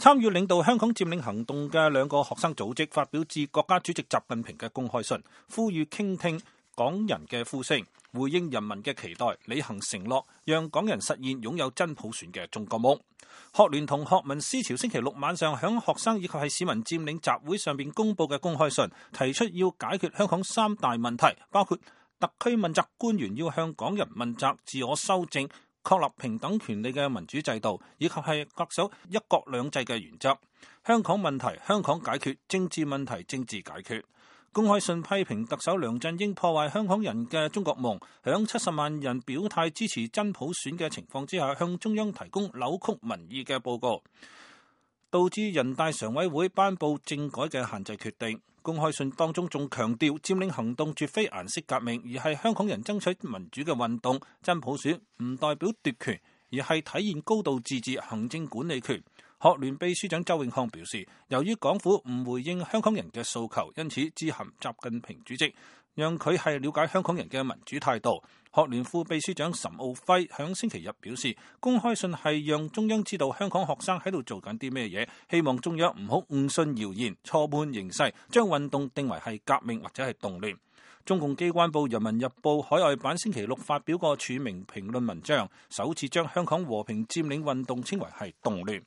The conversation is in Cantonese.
參與領導香港佔領行動嘅兩個學生組織發表致國家主席習近平嘅公開信，呼籲傾聽港人嘅呼聲，回應人民嘅期待，履行承諾，讓港人實現擁有真普選嘅中國夢。學聯同學民思潮星期六晚上響學生以及係市民佔領集會上邊公佈嘅公開信，提出要解決香港三大問題，包括特區問責官員要向港人問責、自我修正、確立平等權利嘅民主制度，以及係恪守一國兩制嘅原則。香港問題香港解決，政治問題政治解決。公開信批評特首梁振英破壞香港人嘅中國夢，響70萬人表態支持真普選嘅情況之下，向中央提供扭曲民意嘅報告，導致人大常委會頒布政改嘅限制決定。公開信當中仲強調，佔領行動絕非顏色革命，而係香港人爭取民主嘅運動。真普選唔代表奪權，而係體現高度自治行政管理權。學聯秘書長周永康表示，由於港府唔回應香港人嘅訴求，因此致函習近平主席，讓佢係了解香港人嘅民主態度。學聯副秘書長岑敖暉響星期日表示，公開信係讓中央知道香港學生喺度做緊啲咩嘢，希望中央唔好誤信謠言，錯判形勢，將運動定為係革命或者係動亂。中共機關報《人民日報》海外版星期六發表個署名評論文章，首次將香港和平佔領運動稱為係動亂。